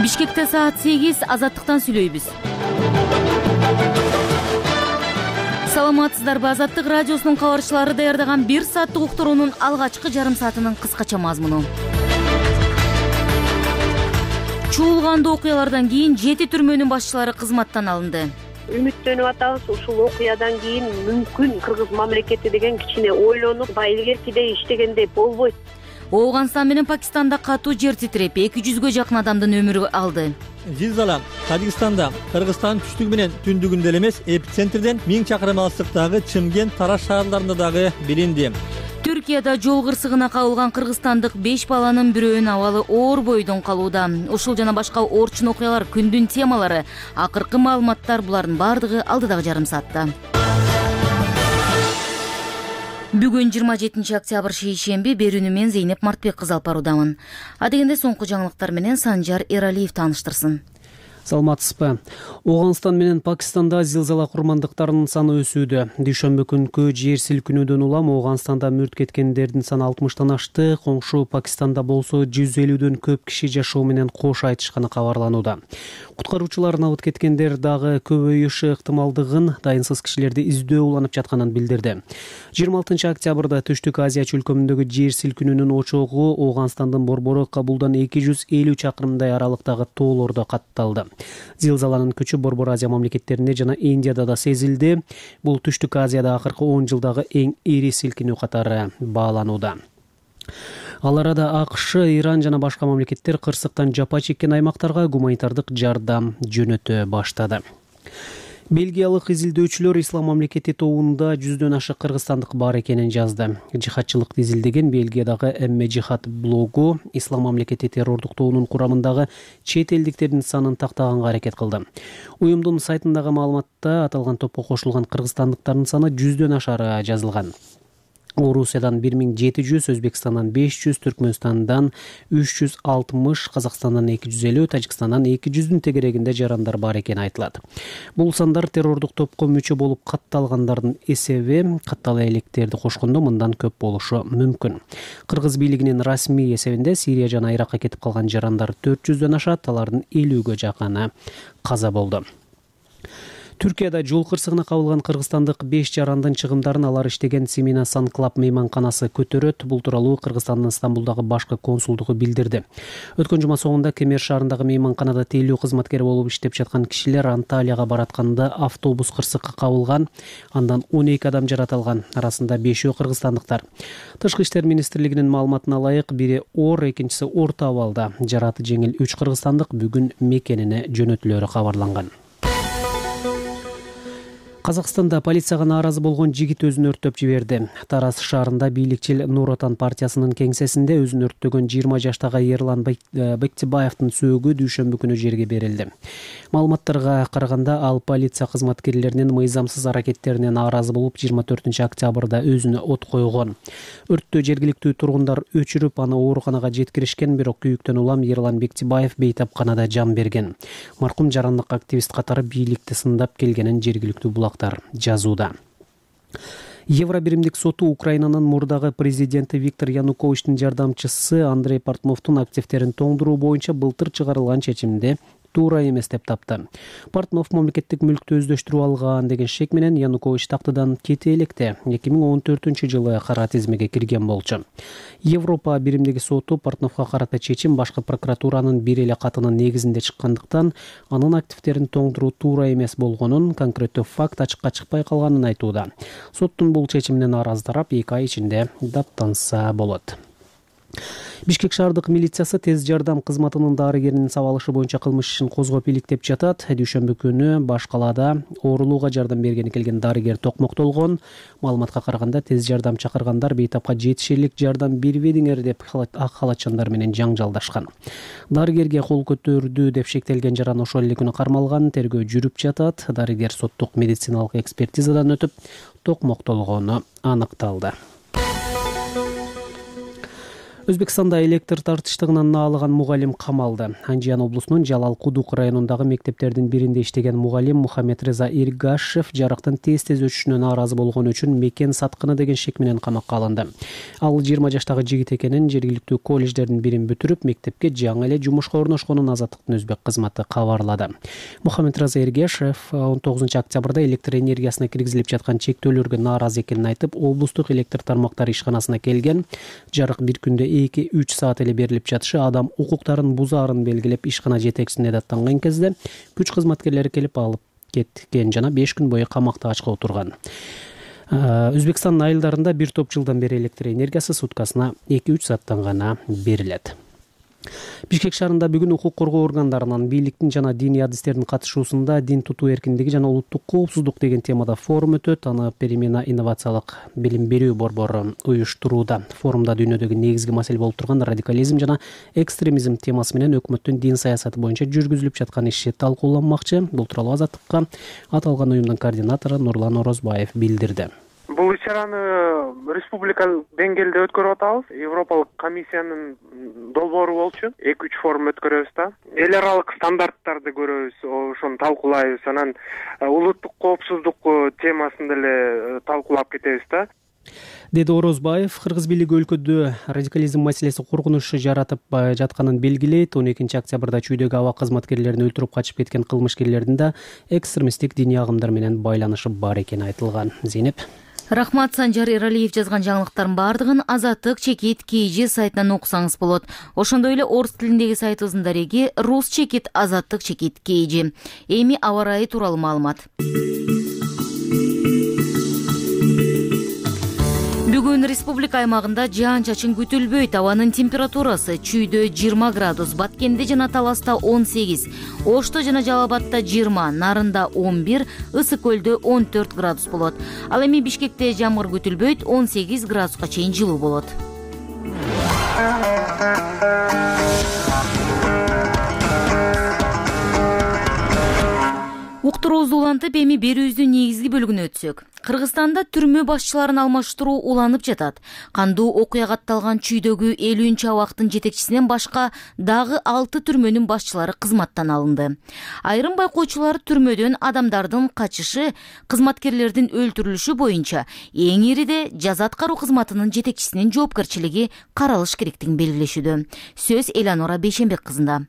Бишкекте саат 8, Азаттыктан сүйлөйбүз. Саламатсыздарбы? Азаттык радиосунун кабарчылары даярдаган 1 сааттык уктуруунун алгачкы жарым саатынын кыскача мазмуну. Чуулгандуу окуялардан кийин 7 түрмөнүн башчылары кызматтан алынды. Үмүттөнүп атабыз, ушул окуядан кийин мүмкүн Кыргыз мамлекети деген кичине ойлонуп, илгеркидей иштегендей болбойт. Ооганстан менен Пакистанда катуу жер титиреп, 200гө жакын адамдын өмүрү алды. Зилзала Тажикстанда, Кыргызстан түштүгү менен түндүгүндө эле эмес, эпицентрден 1000 чакырым алыстыктагы Чымкент, Тараш шаарларында дагы билинди. Түркияда жол кырсыгына кабылган кыргызстандык 5 баланын бирөөнүн абалы оор бойдон калууда. Ушул жана башка орчун окуялар күндүн темалары. Акыркы маалыматтар булардын бардыгы алдыдагы жарым саатта. Бүгүн 27 октябрь шейшемби, берүүнү мен Зейнеп Мартбек кызы алып баруудамын. Адегенде соңку жаңылыктар менен Санжар Эралиев тааныштырсын. Саламатсызбы? Ооганстан менен Пакистанда зилзала курмандыктарынын саны өсүүдө. Дүйшөмбү күнкү жер силкинүүдөн улам Ооганстанда мүрт кеткендердин саны 60тан ашты. Коңшу Пакистанда болсо 150дөн көп киши жашоо менен кош айтышканы кабарланууда. Куткаруучулар набыт кеткендер дагы көбөйүшү ыктымалдыгын, дайынсыз кишилерди издөө уланып жатканын билдирди. 26 октябрда Түштүк Азия чөлкөмүндөгү жер силкинүүнүн очогу Ооганстандын борбору Кабулдан 250 чакырымдай аралыктагы тоолордо катталды. Зилзаланын күчү Борбор Азия мамлекеттеринде жана Индияда да сезилди. Бул Түштүк Азияда акыркы 10 жылдагы эң ири силкинүү катары бааланууда. Ал арада АКШ, Иран жана башка мамлекеттер кырсыктан жапа чеккен аймактарга гуманитардык жардам жөнөтө баштады. Бельгиялык изилдөөчүлөр Ислам мамлекети тобунда 100дөн ашык кыргызстандык бар экенин жазды. Жихадчылыкты изилдеген Бельгиядагы Эмме Жихад блогу Ислам мамлекети террордук тобунун курамындагы чет элдиктердин санын тактаганга аракет кылды. Уюмдун сайтындагы маалыматта аталган топко кошулган кыргызстандыктардын саны 100дөн ашары жазылган. Орусиядан 1700, Өзбекстандан 500, Түркмөнстандан 360, Казакстандан 250, Тажикстандан 200дүн тегерегинде жарандар бар экени айтылат. Бул сандар террордук топко мүчө болуп катталгандардын эсеби, каттала электерди кошкондо мындан көп болушу мүмкүн. Кыргыз бийлигинин расмий эсебинде Сирия жана Иракка кетип калган жарандар 400дөн ашат, алардын 50гө жакыны каза болду. Түркияда жол кырсыгына кабылган кыргызстандык 5 жарандын чыгымдарын алар иштеген Семина Сан-Клаб мейманканасы көтөрөт. Бул тууралуу Кыргызстандын Стамбулдагы башкы консулдугу билдирди. Өткөн жума соңунда Кемер шаарындагы мейманканада тейлөө кызматкери болуп иштеп жаткан кишилер Анталияга баратканда автобус кырсыкка кабылган. Андан 12 адам жаратылган, арасында 5-өө кыргызстандыктар. Тышкы иштер министрлигинин маалыматына ылайык, бири оор, экинчиси орто абалда. Жараты жеңил 3 кыргызстандык бүгүн мекенине жөнөтүлөрү кабарланган. Казакстанда полицияга нааразы болгон жигит өзүн өрттөп жиберди. Тараз шаарында бийликчил Нур Отан партиясынын кеңсесинде өзүн өрттөгөн 20 жаштагы Ерлан Бектибаевдин сөөгү дүйшөмбү күнү жерге берилди. Маалыматтарга караганда, ал полиция кызматкерлеринин мыйзамсыз аракеттерине нааразы болуп 24 октябрда өзүнө от койгон. Өрттү жергиликтүү тургундар өчүрүп, аны ооруканага жеткиришкен, бирок күйүктөн улам Ерлан Бектибаев бейтапканада жан берген. Маркум жарандык активист катары бийликти сындап келгенин жергиликтүү булак жазууда. Евробиримдик соту Украинанын мурдагы президенти Виктор Януковичтин жардамчысы Андрей Портновдун активтерин тоңдуруу боюнча былтыр чыгарылган чечимди туура эмес деп тапты. Портнов мамлекеттик мүлктү өздөштүрүп алган деген шек менен Янукович тактыдан кете электе 2014-жылы кара тизмеге кирген болчу. Европа биримдиги соту Портновго карата чечим башкы прокуратуранын бир эле катынын негизинде чыккандыктан, анын активтерин тоңдуруу туура эмес болгонун, конкреттүү факт ачыкка чыкпай калганын айтууда. Соттун бул чечимине нааразы тарап 2 ай ичинде даттанса болот. Бишкек шаардык милициясы тез жардам кызматынын дарыгеринин сабалышы боюнча кылмыш ишин козгоп иликтеп жатат. Дүйшөмбү күнү баш калаада оорулууга жардам бергени келген дарыгер токмоктолгон. Маалыматка караганда, тез жардам чакыргандар бейтапка жетишерлик жардам бербедиңер деп ак халатчандар менен жаңжалдашкан. Дарыгерге кол көтөрдү деп шектелген жаран ошол эле күнү кармалган. Тергөө жүрүп жатат. Дарыгер соттук медициналык экспертизадан өтүп, токмоктолгону аныкталды. Өзбекстанда электр тартыштыгынан наалыган мугалим камалды. Анжиян облусунун Жалал Кудук районундагы мектептердин биринде иштеген мугалим Мухаммедреза Иргашев жарыктын тез өчүшүнө нааразы болгон үчүн мекен саткыны деген шек менен камакка алынды. Ал 20 жаштагы жигит экенин, жергиликтүү колледждердин бирин бүтүрүп, мектепке жаңы эле жумушка орношконун Азаттыктын өзбек кызматы кабарлады. Мухаммедреза Иргашев 19-октябрда электр энергиясына киргизилип жаткан чектөөлөргө нааразы экенин айтып, облустук электр тармактары ишканасына келген. Жарык бир күндө 2-3 саат эле берилип жатышы адам укуктарын бузаарын белгилеп, ишкана жетекчисине даттанган кезде күч кызматкерлери келип алып кеткен жана 5 күн бою камакта ачка отурган. Өзбекстандын айылдарында бир топ жылдан бери электр энергиясы суткасына 2-3 сааттан гана берилет. Бишкек шаарында бүгүн укук коргоо органдарынан бийликтин жана диний адистердин катышуусунда дин тутуу эркиндиги жана улуттук коопсуздук деген темада форум өтөт. Аны Перемена инновациялык билим берүү борбору уюштурууда. Форумда дүйнөдөгү негизги маселе болуп турган радикализм жана экстремизм темасы менен өкмөттүн дин саясаты боюнча жүргүзүлүп жаткан иши талкууланмакчы. Бул тууралуу Азаттыкка аталган уюмдун координатору Нурлан Орозбаев билдирди. Бул иш-чараны республика деңгээлде өткөрүп атабыз. Европалык комиссиянын долбоору болчу. 2-3 форум өткөрөбүз да. Эл аралык стандарттарды көрөбүз, ошону талкуулайбыз. Анан улуттук коопсуздук темасын деле талкуулап кетебиз да. Деди Орозбаев, кыргыз бийлиги өлкөдө радикализм маселеси коркунучу жаратып жатканын белгилейт. 12 октябрда чүйдөгү аба кызматкерлерин өлтүрүп качып кеткен кылмышкерлердин да экстремисттик диний агымдар менен байланышы бар экени айтылган. Зейнеп. Рахмат. Санжар Эралиев жазган жаңылыктардын баардыгын Азаттык чекит KG сайтынан окусаңыз болот. Ошондой эле орус тилиндеги сайтыбыздын дареги Рус чекит Азаттык чекит KG. Эми аба ырайы тууралуу маалымат. Бүгүн республика аймагында жаан-чачын күтүлбөйт. Абанын температурасы чүйдө 20 градус, Баткенде жана Таласта 18, Ошто жана Жалал Абадта 20, Нарында 11, Ысык көлдө 14 градус болот. Ал эми Бишкекте жамгыр күтүлбөйт, 18 градуска чейин жылуу болот. Уктуруубузду улантып, эми берүүбүздүн негизги бөлүгүнө өтсөк. Кыргызстанда түрмө башчыларын алмаштыруу уланып жатат. Кандуу окуя катталган чүйдөгү 50 абактын жетекчисинен башка дагы 6 түрмөнүн башчылары кызматтан алынды. Айрым байкоочулар түрмөдөн адамдардын качышы, кызматкерлердин өлтүрүлүшү боюнча эң ириде жаза аткаруу кызматынын жетекчисинин жоопкерчилиги каралыш керектигин белгилешүүдө. Сөз Эланора Бейшенбек кызында.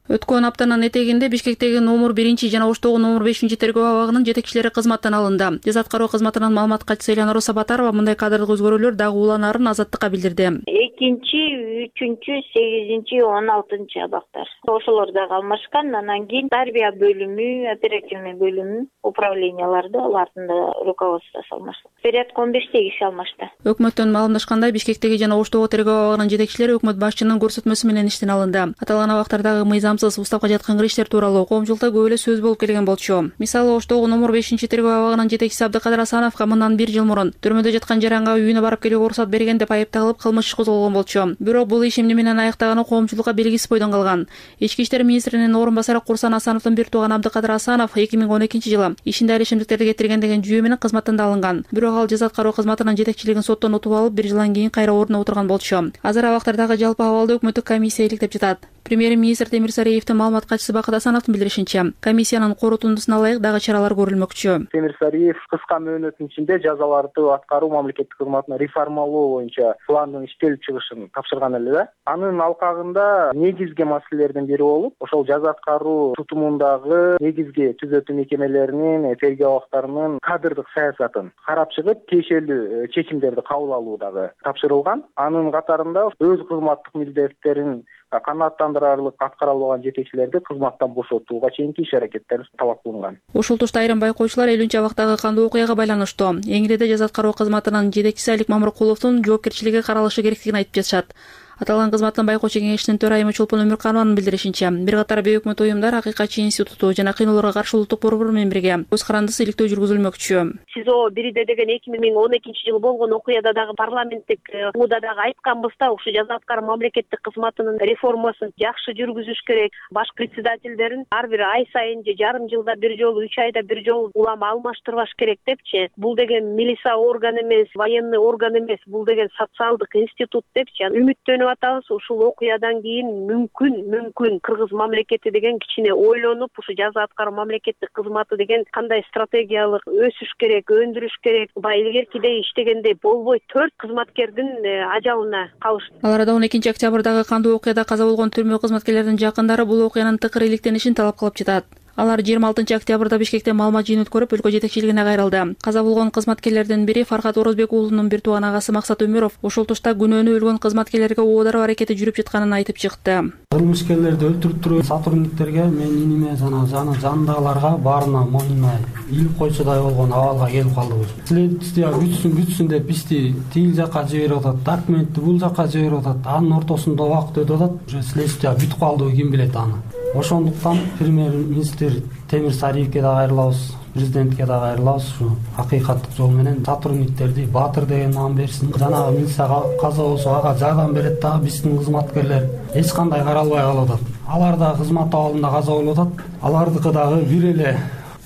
Өткөн аптанын этегинде Бишкектеги номер 1 жана Оштогу номер 5 тергөө абагынын жетекчилери кызматтан алынды. Жаза аткаруу кызматынын маалымат катчысы Эланора Сабатарова мындай кадрлык өзгөрүүлөр дагы уланаарын Азаттыкка билдирди. 2, 3, 8, 16 абактар. Ошолор дагы алмашкан. Анан кийин тарбия бөлүмү, оперативный бөлүмү, управленияларды алардын да руководствосу алмашты. Порядка 15 киши алмашты. Өкмөттөн маалымдашкандай, Бишкектеги жана Оштогу тергөө абагынын жетекчилери өкмөт башчынын көрсөтмөсү менен иштен алынды. Аталган абактардагы мыйзамсыз уставка жаткан иштер тууралуу коомчулукта көп эле сөз болуп келген болчу. Мисалы, Оштогу номер 5 тергөө абагынын жетекчиси Абдыкадыр Асановго мындан 1 жыл мурун түрмөдө жаткан жаранга үйүнө барып келүүгө уруксат берген деп айыпталып кылмыш иш козголгон болчу. Бирок бул иш эмне менен аяктаганы коомчулукка белгисиз бойдон калган. Ички иштер министринин орун басары Курсан Асановдун бир тууганы Абдыкадыр Асанов 2012 жылы ишинде алишимдиктерди кетирген деген жүйө менен кызматтан алынган. Бирок ал жаза аткаруу кызматынын жетекчилигин соттон утуп алып, 1 жылдан кийин кайра ордуна отурган болчу. Азыр абактардагы жалпы абалды өкмөттүк комиссия иликтеп жатат. Премьер-министр Темир Сариевдин маалымат катчысы Бакыт Асановдун билдиришинче, комиссиянын корутундусуна ылайык дагы чаралар көрүлмөкчү. Темир Сариев кыска мөөнөттүн ичинде жазаларды аткаруу мамлекеттик кызматына реформалоо боюнча пландын иштелип чыгышын тапшырган эле да. Анын алкагында негизги маселелердин бири болуп, ошол жаза аткаруу тутумундагы негизги түзөтүү мекемелеринин, тергөө абактарынын кадрдык саясатын карап чыгып, тиешелүү чечимдерди кабыл алуу дагы тапшырылган. Анын катарында өз кызматтык милдеттерин канааттандырарлык аткара албаган жетекчилерди кызматтан бошотууга чейинки иш-аракеттер талап кылынган. Ошол тушта айрым байкоочулар 50 абактагы кандуу окуяга байланыштуу. Эң ириде жаза аткаруу кызматынын жетекчиси Алик Мамыркуловдун жоопкерчилиги каралышы керектигин айтып жатышат. Аталган кызматтын байкоочу кеңешинин төрайымы Чолпон Өмүрканованын билдиришинче, бир катар бейөкмөт уюмдар Акыйкатчы институту жана кыйноолорго каршы улуттук борбор менен бирге көз карандысыз иликтөө жүргүзүлмөкчү. СИЗО бирде деген 2012 жылы болгон окуяда дагы парламенттик муда дагы айтканбыз да, ушу жаза аткаруу мамлекеттик кызматынын реформасын жакшы жүргүзүш керек. Баш председательдерин ар бир ай сайын же жарым жылда бир жолу, 3 айда бир жолу улама алмаштырбаш керек депчи. Бул деген милиция орган эмес, военный орган эмес, бул деген социалдык институт депчи. Үмүттөнөм ишенип атабыз. Ушул окуядан кийин мүмкүн кыргыз мамлекети деген кичине ойлонуп, ушу жаза аткаруу мамлекеттик кызматы деген кандай стратегиялык өсүш керек, өндүрүш керек, баягы илгеркидей иштегендей болбой 4 кызматкердин ажалына калышты. Ал арада 12 октябрдагы кандуу окуяда каза болгон түрмө кызматкерлеринин жакындары бул окуянын тыкыр иликтенишин талап кылып жатат. Алар 26 октябрда Бишкекте маалымат жыйын өткөрүп, өлкө жетекчилигине кайрылды. Каза болгон кызматкерлердин бири Фархат Орозбек уулунун бир тууган агасы Максат Өмөров ошол тушта күнөөнү өлгөн кызматкерлерге оодаруу аракети жүрүп жатканын айтып чыкты. Кылмышкерлерди өлтүрүп туруп сотрудниктерге, мен иниме жана жанындагыларга баарына мойнуна ийип койчудай болгон абалга келип калдыбыз. Следствие бүтсүн деп бизди тигил жакка жиберип атат, документти бул жакка жиберип атат. Анын ортосунда убакыт өтүп атат. Уже следствие бүтүп калдыбы ким билет аны. Ошондуктан премьер-министр Темир Сариевке да кайрылабыз, президентке да кайрылабыз. Ушу акыйкаттык жол менен сотрудниктерди Батыр деген наам берсин. Жанагы милиция каза болсо ага жардам берет дагы биздин кызматкерлер эч кандай каралбай калып атат. Алар да кызмат абалында каза болуп атат. Алардыкы дагы бир эле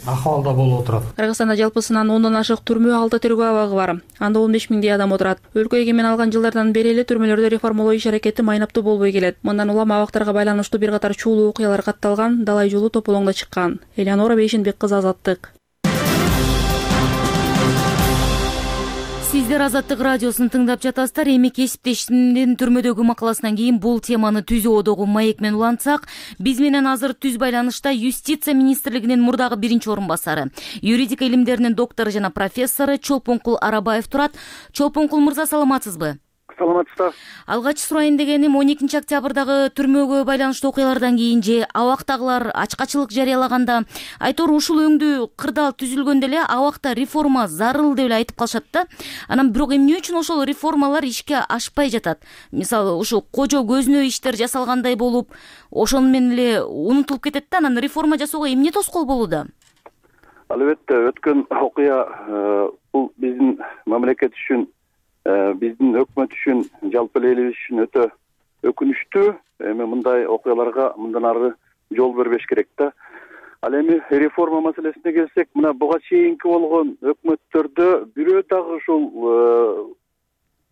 акыбалда болуп отурат. Кыргызстанда жалпысынан 10дон ашык түрмө, 6 тергөө абагы бар. Анда 15 миңдей адам отурат. Өлкө эгемен алган жылдардан бери эле түрмөлөрдө реформалоо иш аракети майнаптуу болбой келет. Мындан улам абактарга байланыштуу бир катар чуулуу окуялар катталган, далай жолу тополоңдо чыккан. Элеонора Бейшенбек кызы, Азаттык. Сиздер Азаттык радиосун тыңдап жатасыздар. Эми кесиптешимдин түрмөдөгү макаласынан кийин бул теманы түзүү одогу маек менен улантсак, биз менен азыр түз байланышта Юстиция министрлигинин мурдагы биринчи орун басары, юридика илимдеринин доктору жана профессору Чолпонкул Арабаев турат. Чолпонкул мырза, саламатсызбы? Саламатсыздар. Алгач сурайын дегеним, 12 октябрдагы түрмөгө байланыштуу окуялардан кийин же абактагылар ачкачылык жарыялаганда айтор ушул өңдүү кырдаал түзүлгөндө эле абакта реформа зарыл деп эле айтып калышат да. Анан бирок эмне үчүн ошол реформалар ишке ашпай жатат? Мисалы, ушу кожо көзүнө иштер жасалгандай болуп, ошону менен эле унутулуп кетет да. Анан реформа жасоого эмне тоскоол болууда? Албетте, өткөн окуя бул биздин мамлекет үчүн, биздин өкмөт үчүн, жалпы элибиз үчүн өтө өкүнүчтүү. Эми мындай окуяларга мындан ары жол бербеш керек да. Ал эми реформа маселесине келсек, мына буга чейинки болгон өкмөттөрдө бирөө дагы ушул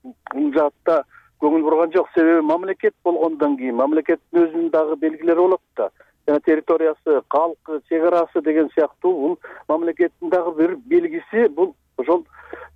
бул жаатта көңүл бурган жок. Себеби мамлекет болгондон кийин мамлекеттин өзүнүн дагы белгилери болот да. Жана территориясы, калкы, чек арасы деген сыяктуу бул мамлекеттин дагы бир белгиси. Бул ошол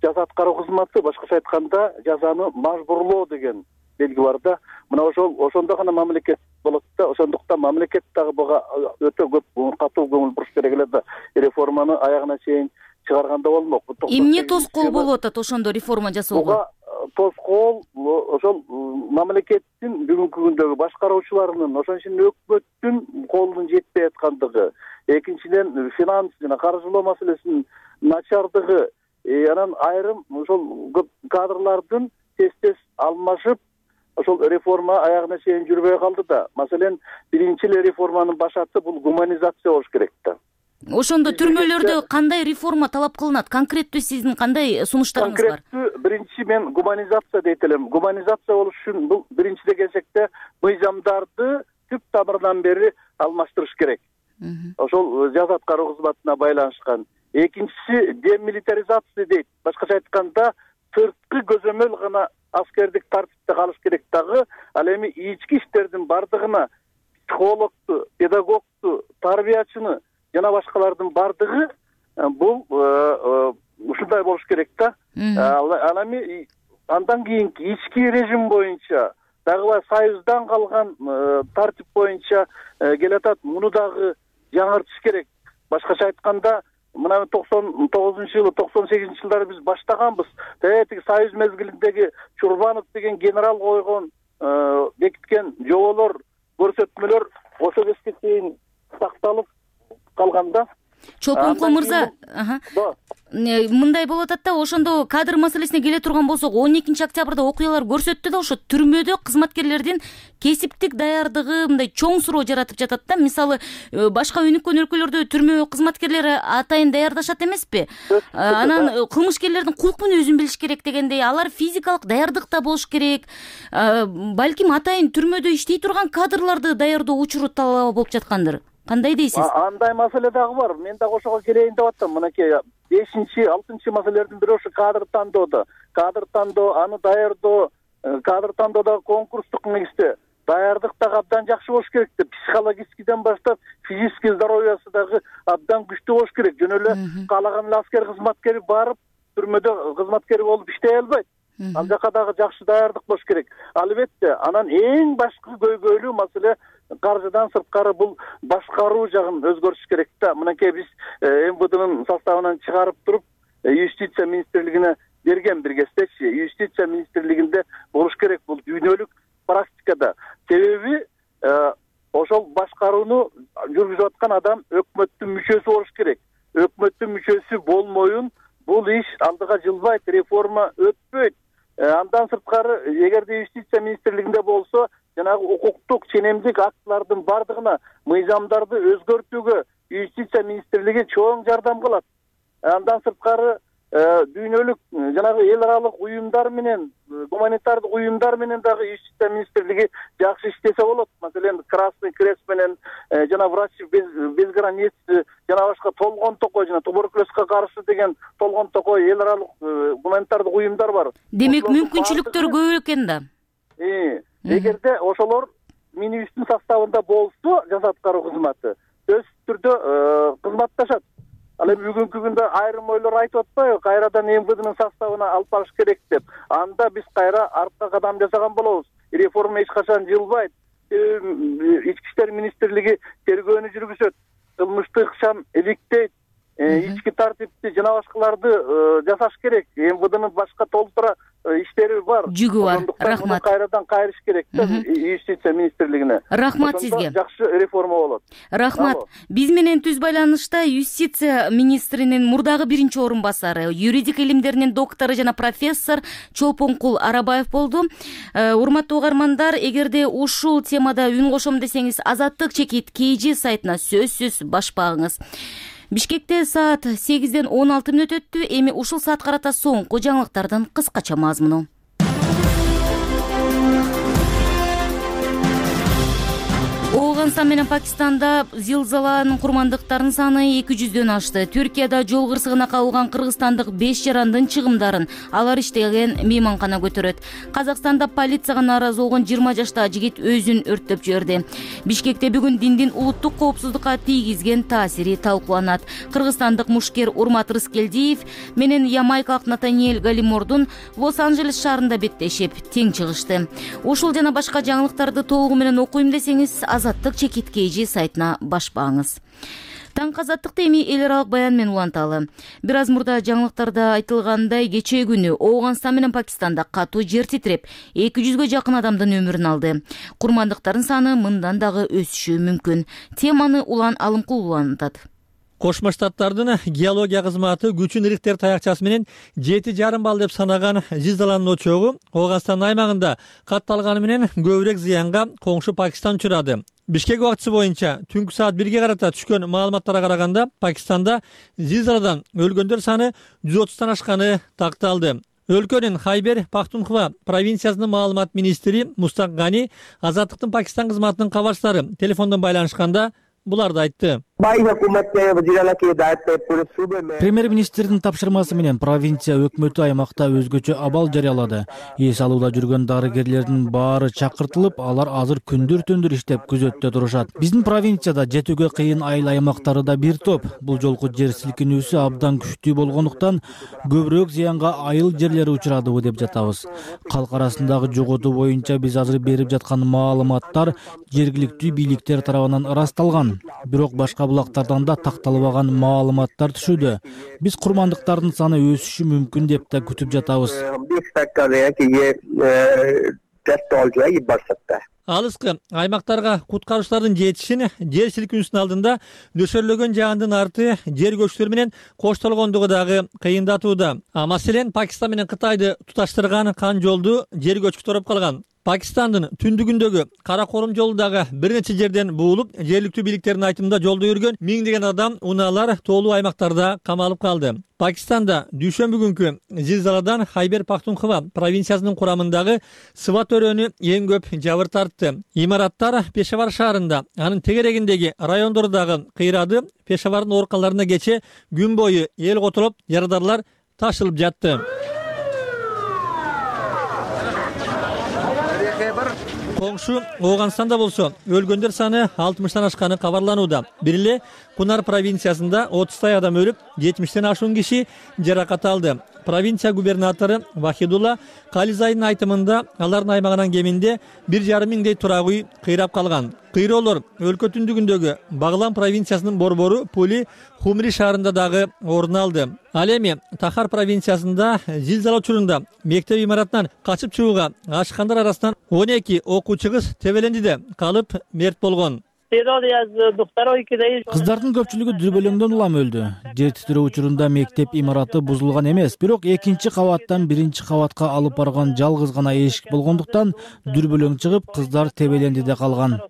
жаза аткаруу кызматы, башкача айтканда жазаны мажбурлоо деген белги бар да. Мына ошондо гана мамлекет болот да. Ошондуктан мамлекет дагы буга өтө көп катуу көңүл буруш керек эле да. Реформаны аягына чейин чыгарганда болмок. Эмне тоскоол болуп атат ошондо реформа жасоого? Тоскоол ошол мамлекеттин бүгүнкү күндөгү башкаруучуларынын, ошон үчүн өкмөттүн колунун жетпей аткандыгы, экинчиден финанс жана каржылоо маселесинин начардыгы, анан айрым ошол көп кадрлардын тез алмашып, ошол реформа аягына чейин жүрбөй калды да. Маселен, биринчи эле реформанын башаты бул гуманизация болуш керек да. Ошондо түрмөлөрдө кандай реформа талап кылынат? Конкреттүү сиздин кандай сунуштарыңыз бар? Конкреттүү биринчи мен гуманизация дейт элем. Гуманизация болуш үчүн бул биринчиде келсекте мыйзамдарды түп тамырынан бери алмаштырыш керек. Ошол жаза аткаруу кызматына байланышкан. Экинчиси демилитаризация дейт. Башкача айтканда, сырткы көзөмөл гана аскердик тартипте калыш керек дагы. Ал эми ички иштердин бардыгына психологту, педагогту, тарбиячыны жана башкалардын бардыгы бул ушундай болуш керек да. Ал эми андан кийинки ички режим боюнча дагы союздан калган тартип боюнча келатат. Муну дагы жаңыртыш керек. Башкача айтканда, мына 99-жылы, 98-жылдары биз баштаганбыз. Тиги союз мезгилиндеги Чурбанов деген генерал койгон, бекиткен жоболор, көрсөтмөлөр ошо кезге чейин сакталып калганда. Чолпонкул мырза, мындай болуп атат да, ошондо кадр маселесине келе турган болсок, 12 октябрда окуялар көрсөттү да, ошо түрмөдө кызматкерлердин кесиптик даярдыгы мындай чоң суроо жаратып жатат да. Мисалы, башка өнүккөн өлкөлөрдө түрмө кызматкерлери атайын даярдашат эмеспи? Анан кылмышкерлердин кулк мүнөзүн билиш керек дегендей, алар физикалык даярдыкта болуш керек. Балким атайын түрмөдө иштей турган кадрларды даярдоо учуру талап болуп жаткандыр. Кандай дейсиз? Андай маселе дагы бар. Мен дагы ошого келейин деп атам. Мынакей 5-6 маселелердин бири ошо кадр тандоодо. Кадр тандоо, аны даярдоо, кадр тандоодагы конкурстук негизде даярдык дагы абдан жакшы болуш керек да. Психологическийден баштап физический здоровьясы дагы абдан күчтүү болуш керек. Жөн эле каалаган эле аскер кызматкери барып түрмөдө кызматкер болуп иштей албайт. Ал жака дагы жакшы даярдык болуш керек. Албетте, анан эң башкы көйгөйлүү маселе каржыдан сырткары бул башкаруу жагын өзгөртүш керек да. Мынакей биз МВДнын составынан чыгарып туруп, юстиция министрлигине берген бир кездечи. Юстиция министрлигинде болуш керек бул дүйнөлүк практикада. Себеби ошол башкарууну жүргүзүп аткан адам өкмөттүн мүчөсү болуш керек. Өкмөттүн мүчөсү болмоюн бул иш алдыга жылбайт, реформа өтпөйт. Андан сырткары, эгерде юстиция министрлигинде болсо, жанагы укуктук ченемдик актылардын бардыгына мыйзамдарды өзгөртүүгө юстиция министрлиги чоң жардам кылат. Андан сырткары дүйнөлүк жанагы эл аралык уюмдар менен, гуманитардык уюмдар менен дагы юстиция министрлиги жакшы иштесе болот. Маселен, Красный Крест менен жана врачи без границ, жана башка толгон токой, жана туберкулезге каршы деген толгон токой эл аралык гуманитардык уюмдар бар. Демек, мүмкүнчүлүктөр көп экен да. Эгерде ошолор минибустун составында болсо, жаза аткаруу кызматы сөзсүз түрдө кызматташат. Ал эми бүгүнкү күндө айрым ойлор айтып атпайбы, кайрадан МВДнын составына алып барыш керек деп. Анда биз кайра артка кадам жасаган болобуз. Реформа эч качан жылбайт. Ички иштер министрлиги тергөөнү жүргүзөт. Кылмыштык ишчан иликтейт. Ички тартипти жана башкаларды жасаш керек. МВДнын башка толтура иштери бар. Жүгү бар. Рахмат. Кайрадан кайрыш керек да юстиция министрлигине. Рахмат сизге. Жакшы реформа болот. Рахмат. Биз менен түз байланышта юстиция министринин мурдагы биринчи орун басары, юридик илимдеринин доктору жана профессор Чолпонкул Арабаев болду. Урматтуу угармандар, эгерде ушул темада үн кошом десеңиз, Азаттык чекит KG сайтына сөзсүз баш багыңыз. Бишкекте саат 8-ден 16 мүнөт өттү. Эми ушул саат карата соңку жаңылыктардын кыскача мазмуну. Афганистан менен Пакистанда зилзаланын курмандыктарынын саны 200дөн ашты. Түркияда жол кырсыгына кабылган кыргызстандык 5 жарандын чыгымдарын алар иштеген мейманкана көтөрөт. Казакстанда полицияга нааразы болгон 20 жаштагы жигит өзүн өрттөп жиберди. Бишкекте бүгүн диндин улуттук коопсуздукка тийгизген таасири талкууланат. Кыргызстандык мушкер Урмат Рыскелдиев менен ямайкалык Натаниэль Галимордун Лос-Анджелес шаарында беттешип тең чыгышты. Ушул жана башка жаңылыктарды толугу менен окуйм десеңиз, Азаттык чекит KG сайтына баш багыңыз. Таңкы азаттыкты эми эл аралык баян менен уланталы. Бир аз мурда жаңылыктарда айтылгандай, кечээ күнү Афганистан менен Пакистанда катуу жер титиреп, 200гө жакын адамдын өмүрүн алды. Курмандыктардын саны мындан дагы өсүшү мүмкүн. Теманы Улан Алымкул улантат. Кошмо Штаттардын геология кызматы күчүн Рихтер таякчасы менен 7,5 балл деп санаган зилзаланын очогу Афганистан аймагында катталганы менен көбүрөөк зыянга коңшу Пакистан учурады. Бишкек убактысы боюнча түнкү саат 1-ге карата түшкөн маалыматтарга караганда Пакистанда зилзаладан өлгөндөр саны 130тан ашканы такталды. Өлкөнүн Хайбер Пахтунхва провинциясынын маалымат министри Мустак Гани Азаттыктын Пакистан кызматынын кабарчылары телефондон байланышканда буларды айтты. Премьер-министрдин тапшырмасы менен провинция өкмөтү аймакта өзгөчө абал жарыялады. Эс алууда жүргөн дарыгерлердин баары чакыртылып, алар азыр күндүр-түндүр иштеп күзөттө турушат. Биздин провинцияда жетүүгө кыйын айыл аймактары да бир топ. Бул жолку жер силкинүүсү абдан күчтүү болгондуктан көбүрөөк зыянга айыл жерлери учурадыбы деп жатабыз. Калк арасындагы жоготуу боюнча биз азыр берип жаткан маалыматтар жергиликтүү бийликтер тарабынан ырасталган. Бирок башка булактардан да такталбаган маалыматтар түшүүдө. Биз курмандыктардын саны өсүшү мүмкүн деп да күтүп жатабыз. Алыскы аймактарга куткаруучулардын жетишин жер силкинүүсүнүн алдында нөшөрлөгөн жаандын арты жер көчкүлөр менен коштолгондугу дагы кыйындатууда. Маселен, Пакистан менен Кытайды туташтырган кан жолду жер көчкү тороп калган. Пакистандын түндүгүндөгү Кара Корум жолу дагы бир нече жерден буулуп, жергиликтүү бийликтердин айтымында жолдо жүргөн миңдеген адам, унаалар тоолуу аймактарда камалып калды. Пакистанда дүйшөмбү күнкү зилзаладан Хайбер Пахтунхва провинциясынын курамындагы Сват өрөөнү эң көп жабыр тартты. Имараттар Пешавар шаарында, анын тегерегиндеги райондору дагы кыйрады. Пешавардын ооруканаларына кече күн бою эл котулуп, ярадарлар ташылып жатты. Коңшу Ооганстанда болсо өлгөндөр саны 60-тан ашканы кабарланууда. Бир эле Кунар провинциясында 30 адам өлүп, 70-тен ашуун киши жаракат алды. Провинция губернатору Вахидулла Кализайдын айтымында алардын аймагынан кеминде 1,5 миңдей турак үй кыйрап калган. Кыйроолор өлкө түндүгүндөгү Баглан провинциясынын борбору Пули Хумри шаарында дагы орун алды. Ал эми Тахар провинциясында зилзала учурунда мектеп имаратынан качып чыгууга ашкандар арасынан 12 окуучу кыз Тебелендиде калып мерт болгон. Кыздардын көпчүлүгү дүрбөлөңдөн улам өлдү. Жер титирөө учурунда мектеп имараты бузулган эмес, бирок экинчи кабаттан биринчи кабатка алып барган жалгыз гана эшик болгондуктан дүрбөлөң чыгып, кыздар Тебелендиде калган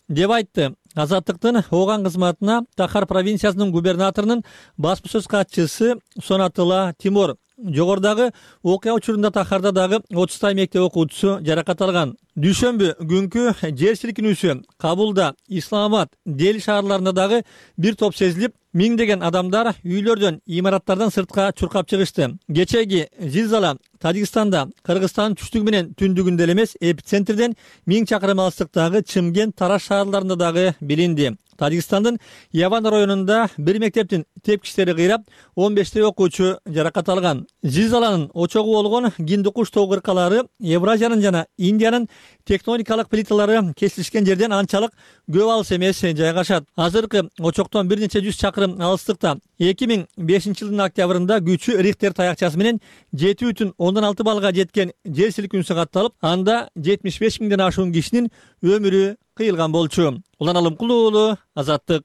деп айтты. Азаттыктын Ооган кызматына Тахар провинциясынын губернаторунун басма сөз катчысы Сонатыла Тимур. Жогордагы окуя учурунда Тахарда дагы 30 мектеп окуучусу жаракат алган. Дүйшөмбү күнкү жер силкинүүсү Кабулда, Исламабад, Дели шаарларында дагы бир топ сезилип, миңдеген адамдар үйлөрдөн, имараттардан сыртка чуркап чыгышты. Кечеги зилзала Тажикстанда, Кыргызстандын түштүгү менен түндүгүндө эмес, эпицентрден 1000 чакырым алыстыктагы Чымкент, Тараш шаарларында дагы билинди. Тажикстандын Яван районунда бир мектептин тепкичтери кыйрап, 15 окуучу жаракат алган. Зилзаланын очогу болгон Гиндукуш тоо кыркалары Евразиянын жана Индиянын тектоникалык плиталары кесилишкен жерден анчалык көп алыс эмес жайгашат. Азыркы очоктон бир нече жүз чакырым алыстыкта 2005 жылдын октябрында күчү Рихтер таякчасы менен 7,6 баллга жеткен жер силкинүүсү катталып, анда 75 миңден ашуун кишинин өмүрү кыйылган болчу. Улан Алымкулуу уулу, Азаттык.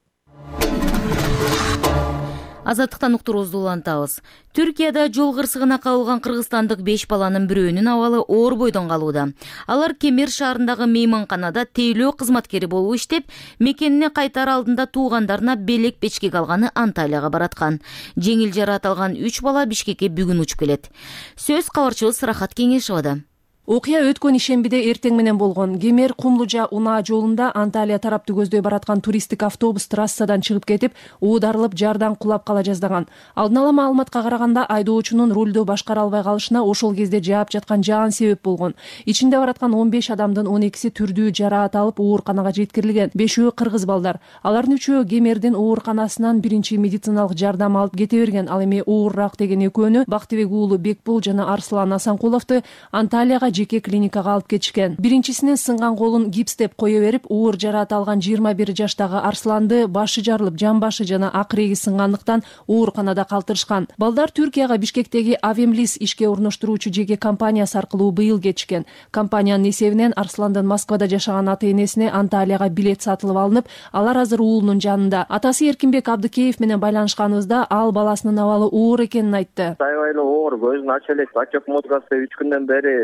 Азаттыктан уктуруубузду улантабыз. Түркияда жол кырсыгына кабылган кыргызстандык 5 баланын бирөөнүн абалы оор бойдон калууда. Алар Кемер шаарындагы мейманканада тейлөө кызматкери болуп иштеп, мекенине кайтаар алдында туугандарына белек печкек алганы Анталияга бараткан. Жеңил жараат алган 3 бала Бишкекке бүгүн учуп келет. Сөз кабарчыбыз Рахат Кеңешовада. Окуя өткөн ишембиде эртең менен болгон. Кемер Кумлужа Унаа жолунда Анталия тарапты көздөй бараткан туристтик автобус трассадан чыгып кетип, уударылып, жардан кулап кала жаздаган. Алдын ала маалыматка караганда, айдоочунун рулду башкара албай калышына ошол кезде жаап жаткан жаан себеп болгон. Ичинде бараткан 15 адамдын 12си түрдүү жараат алып, ооруканага жеткирилген. 5-өө кыргыз балдар. Алардын 3-өө Кемердин ооруканасынан биринчи медициналык жардам алып кете берген. Ал эми оорураак деген экөөнү Бактыбек уулу Бекбул жана Арслан Асанкуловду Анталияга жеке клиникага алып кетишкен. Биринчисинин сынган колун гипстеп кое берип, оор жараат алган 21 жаштагы Арсланды башы жарылып, жан башы жана акыреги сынгандыктан ооруканада калтырышкан. Балдар Түркияга Бишкектеги Авемлис ишке орноштуруучу жеке компаниясы аркылуу быйыл кетишкен. Компаниянын эсебинен Арсландын Москвада жашаган ата-энесине Анталияга билет сатылып алынып, алар азыр уулунун жанында. Атасы Эркинбек Абдыкеев менен байланышканыбызда ал баласынын абалы оор экенин айтты. Аябай эле оор, көзүн ача элек, отек муткасы 3 күндөн бери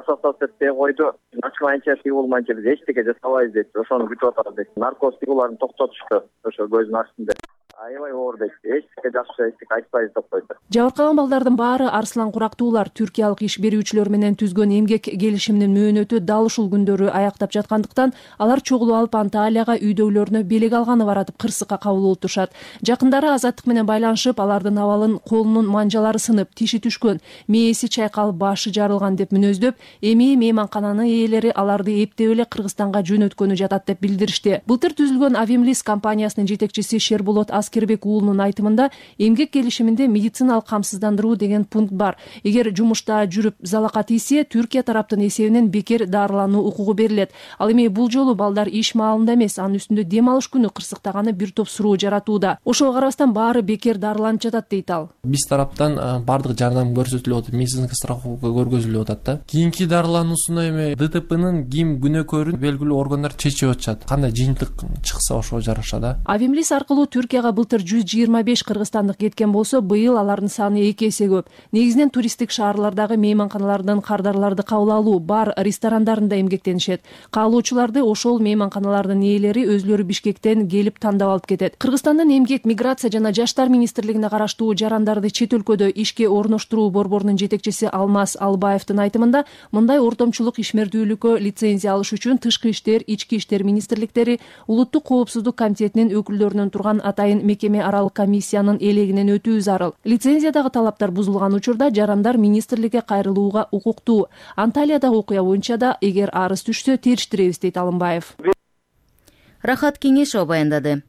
расатсатпей койду. Ачмайынча болмайынча биз эчтеке жасабайбыз дейт. Ошону күтүп атабыз дейт. Наркоз тигуларын токтотушту. Ошо көзүн ачсын деп. Аябай оор дейт. Эчтеке жакшы, эчтеке айтпайбыз деп койду. Жабыркаган балдардын баары Арслан Курактуулар түркиялык иш берүүчүлөр менен түзгөн эмгек келишиминин мөөнөтү дал ушул күндөрү аяктап жаткандыктан алар чогулуп алып Анталияга үйдөгүлөрүнө белек алганы баратып кырсыкка кабыл болуп турушат. Жакындары Азаттык менен байланышып, алардын абалын колунун манжалары сынып, тиши түшкөн, мээси чайкалып, башы жарылган деп мүнөздөп, эми мейманкананын ээлери аларды эптеп эле Кыргызстанга жөнөткөнү жатат деп билдиришти. Былтыр түзүлгөн Авемлис компаниясынын жетекчиси Шерболот Аскербек уулунун айтымында, эмгек келишиминде медициналык камсыздандыруу деген пункт бар. Эгер жумушта жүрүп залакат ийсе, Түркия тараптын эсебинен бекер дарылануу укугу берилет. Ал эми бул жолу балдар иш маалында эмес, анын үстүндө дем алыш күнү кырсыктаганы бир топ суроо жаратууда. Ошого карабастан баары бекер дарыланып жатат дейт ал. Биз тараптан бардык жардам көрсөтүлүп атат, медицинский страховка көргөзүлүп атат да. Кийинки дарылануусуна эми ДТПнын ким күнөөкөрүн белгилүү органдар чечип атышат. Кандай жыйынтык чыкса ошого жараша да. Авемлис аркылуу Түркияга былтыр 125 кыргызстандык кеткен болсо, быйыл алардын саны 2 эсе көп. Негизинен туристтик шаарлардагы мейманканалардан кардарларды кабыл алуу, бар ресторандарында эмгектенишет. Каалоочуларды ошол мейманканалардын ээлери өзлөрү Бишкектен келип тандап алып кетет. Кыргызстандын эмгек, миграция жана жаштар министрлигине караштуу жарандарды чет өлкөдө ишке орноштуруу борборунун жетекчиси Алмаз Албаевдин айтымында, мындай ортомчулук ишмердүүлүккө лицензия алыш үчүн тышкы иштер, ички иштер министрликтери, улуттук коопсуздук комитетинин өкүлдөрүнөн турган атайын мекеме аралык комиссиянын элегинен өтүү зарыл. Лицензиядагы талаптар бузулган учурда жарандар министрликке кайрылууга укуктуу. Анталиядагы окуя боюнча да эгер арыз түшсө териштиребиз, дейт Алымбаев. Рахат Кеңешова баяндады.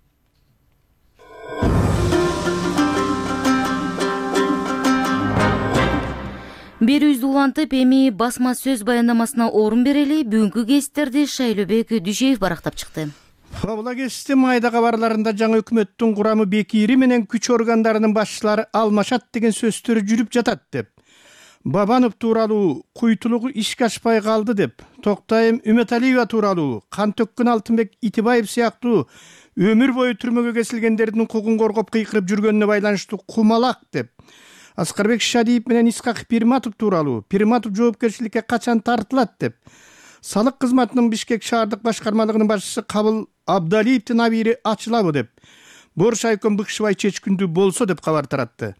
Берүүбүздү улантып, эми басма сөз баяндамасына орун берели. Бүгүнкү кесиптерди Шайлообек Дүйшеев барактап чыкты. Фабула кесипти майда кабарларында жаңы өкмөттүн курамы бекири менен күч органдарынын башчылары алмашат деген сөздөр жүрүп жатат деп, Бабанов тууралуу куйтулугу ишке ашпай калды деп, Токтайым Үмөталиева тууралуу, кан төккөн Алтынбек Итибаев сыяктуу өмүр бою түрмөгө кесилгендердин укугун коргоп кыйкырып жүргөнүнө байланыштуу кумалак деп, Аскарбек Шадиев менен Исхак Пирматов тууралуу, Пирматов жоопкерчиликке качан тартылат деп, салык кызматынын Бишкек шаардык башкармалыгынын башчысы Кабыл Абдалиевдин абийири ачылабы деп, Боруш Айкон Быкшыбай чечкүндүү болсо деп кабар таратты.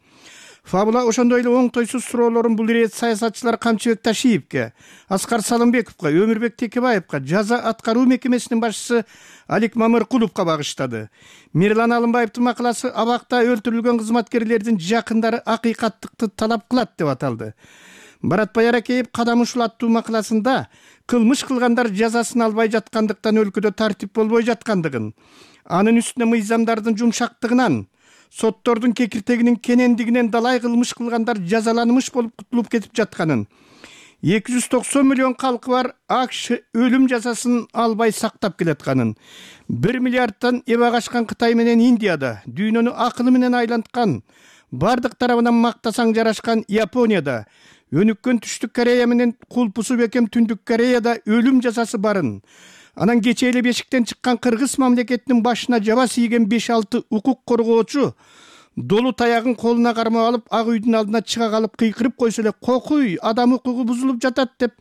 Фабула ошондой эле оңтойсуз суроолорун бул ирет саясатчылар Камчыбек Ташиевке, Аскар Салымбековго, Өмүрбек Текебаевго, жаза аткаруу мекемесинин башчысы Алик Мамыркуловго багыштады. Мирлан Алымбаевдин макаласы абакта өлтүрүлгөн кызматкерлердин жакындары акыйкаттыкты талап кылат деп аталды. Баратбай Аракеев кадам ушулаттуу макаласында кылмыш кылгандар жазасын албай жаткандыктан өлкөдө тартип болбой жаткандыгын, анын үстүнө мыйзамдардын жумшактыгынан, соттордун кекиртегинин кенендигинен далай кылмыш кылгандар жазаланмыш болуп кутулуп кетип жатканын, 290 миллион калкы бар АКШ өлүм жазасын албай сактап келатканын, 1 миллиардтан эбак ашкан Кытай менен Индияда, дүйнөнү акылы менен айланткан, бардык тарабынан мактасаң жарашкан Японияда, өнүккөн Түштүк Корея менен кулпусу бекем Түндүк Кореяда өлүм жазасы барын, анан кече эле бешиктен чыккан Кыргыз мамлекетинин башына жаба тийген 5-6 укук коргоочу долу таягын колуна кармап алып, Ак үйдүн алдына чыга калып кыйкырып койсо эле кокуй, адам укугу бузулуп жатат деп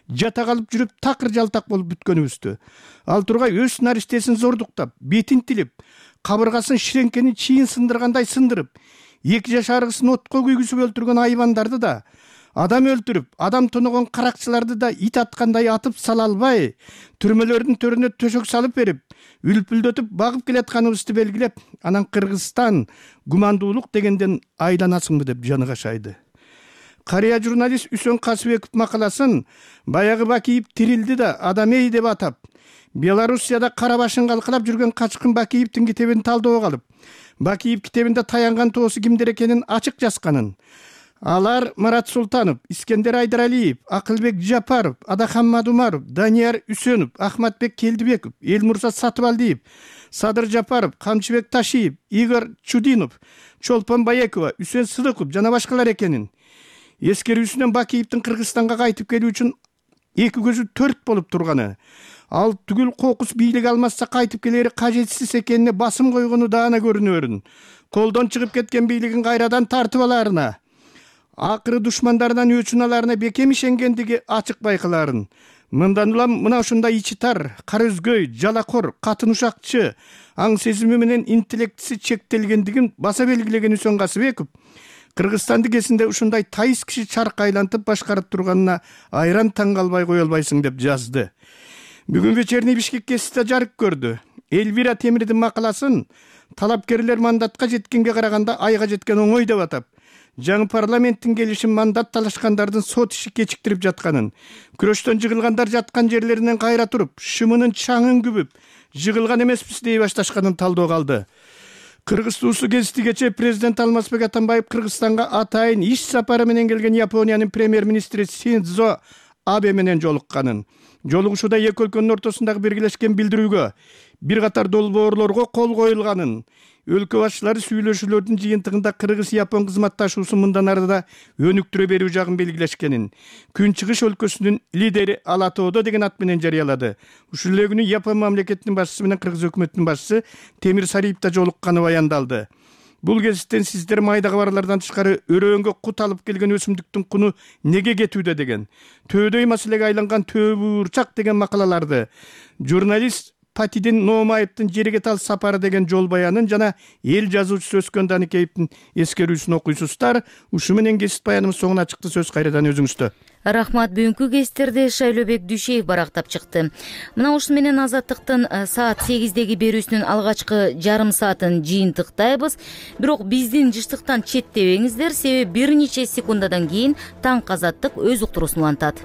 жата калып жүрүп такыр жалтак болуп бүткөнүбүздү. Ал тургай өз наристесин зордуктап, бетин тилип, кабыргасын ширеңкенин чийин сындыргандай сындырып, 2 жашар кызын отко күйгүзүп өлтүргөн айбандарды да, адам өлтүрүп, адам тоногон каракчыларды да ит аткандай атып сала албай, түрмөлөрдүн төрүнө төшөк салып берип, үлпүлдөтүп багып келатканыбызды белгилеп, анан Кыргызстан гумандуулук дегенден айланасыңбы деп жаны кашайды. Карыя журналист Үсөн Касыбеков макаласын баягы Бакиев тирилди да Адамей деп атап, Белоруссияда кара башын калкалап жүргөн качкын Бакиевдин китебин талдоого алып, Бакиев китебинде таянган тоосу кимдер экенин ачык жазганын, алар Марат Султанов, Искендер Айдаралиев, Акылбек Жапаров, Адахан Мадумаров, Данияр Үсөнов, Ахматбек Келдибеков, Элмурза Сатыбалдиев, Садыр Жапаров, Камчыбек Ташиев, Игорь Чудинов, Чолпон Баекова, Үсен Сыдыков жана башкалар экенин, эскерүүсүнөн Бакиевдин Кыргызстанга кайтып келүү үчүн 2 көзү 4 болуп турганы, ал түгүл кокус бийлик алмаса кайтып келери кажетсиз экенине басым койгону даана көрүнөрүн, колдон чыгып кеткен бийлигин кайрадан тартып алаарына, акыры душмандарынан өчүн аларына бекем ишенгендиги ачык байкаларын. Мындан улам мына ушундай ичи тар, кара өзгөй, жалакор, катын ушакчы, аң сезими менен интеллектиси чектелгендигин баса белгилеген Үсөн Касыбеков Кыргызстанды кезинде ушундай тайыз киши чарк айлантып башкарып турганына айран таң калбай кое албайсың деп жазды. Бүгүн вечерний Бишкек кесипте жарык көрдү. Элвира Темирдин макаласын талапкерлер мандатка жеткенге караганда айга жеткен оңой деп атап, жаңы парламенттин келишин мандат талашкандардын сот иши кечиктирип жатканын, күрөштөн жыгылгандар жаткан жерлеринен кайра туруп, шымынын чаңын күбүп, жыгылган эмеспиз дей башташканын талдоо калды. Кыргыз туусу кезиштигече президент Алмазбек Атамбаев Кыргызстанга атайын иш сапары менен келген Япониянын премьер-министри Синдзо Абе менен жолукканын, жолугушууда эки өлкөнүн ортосундагы биргелешкен билдирүүгө бир катар долбоорлорго кол коюлганын, өлкө башчылары сүйлөшүүлөрдүн жыйынтыгында Кыргыз-Япон кызматташуусу мындан ары да өнүктүрө берүү жагын белгилешкенин Күн Чыгыш өлкөсүнүн лидери Ала Тоодо деген ат менен жарыялады. Ушул эле күнү Япон мамлекетинин башчысы менен Кыргыз өкмөтүнүн башчысы Темир Сариев да жолукканы баяндалды. Бул кесиптен сиздер майда кабарлардан тышкары өрөөнгө кут алып келген өсүмдүктүн куну неге кетүүдө деген, төөдөй маселеге айланган төө буурчак деген макалаларды журналист Патидин Ноомаевдин жерге тал сапары деген жол баянын жана эл жазуучусу Өскөн Даникеевдин эскерүүсүн окуйсуздар. Ушу менен кесип баяныбыз соңуна чыкты. Сөз кайрадан өзүңүздө. Рахмат. Бүгүнкү кестерде Шайлообек Дүйшеев барактап чыкты. Мына ушун менен Азаттыктын саат 8деги берүүсүнүн алгачкы жарым саатын жыйынтыктайбыз. Бирок биздин жыштыктан четтебеңиздер, себеби бир нече секундадан кийин Таң Азаттык өз уктуруусун улантат.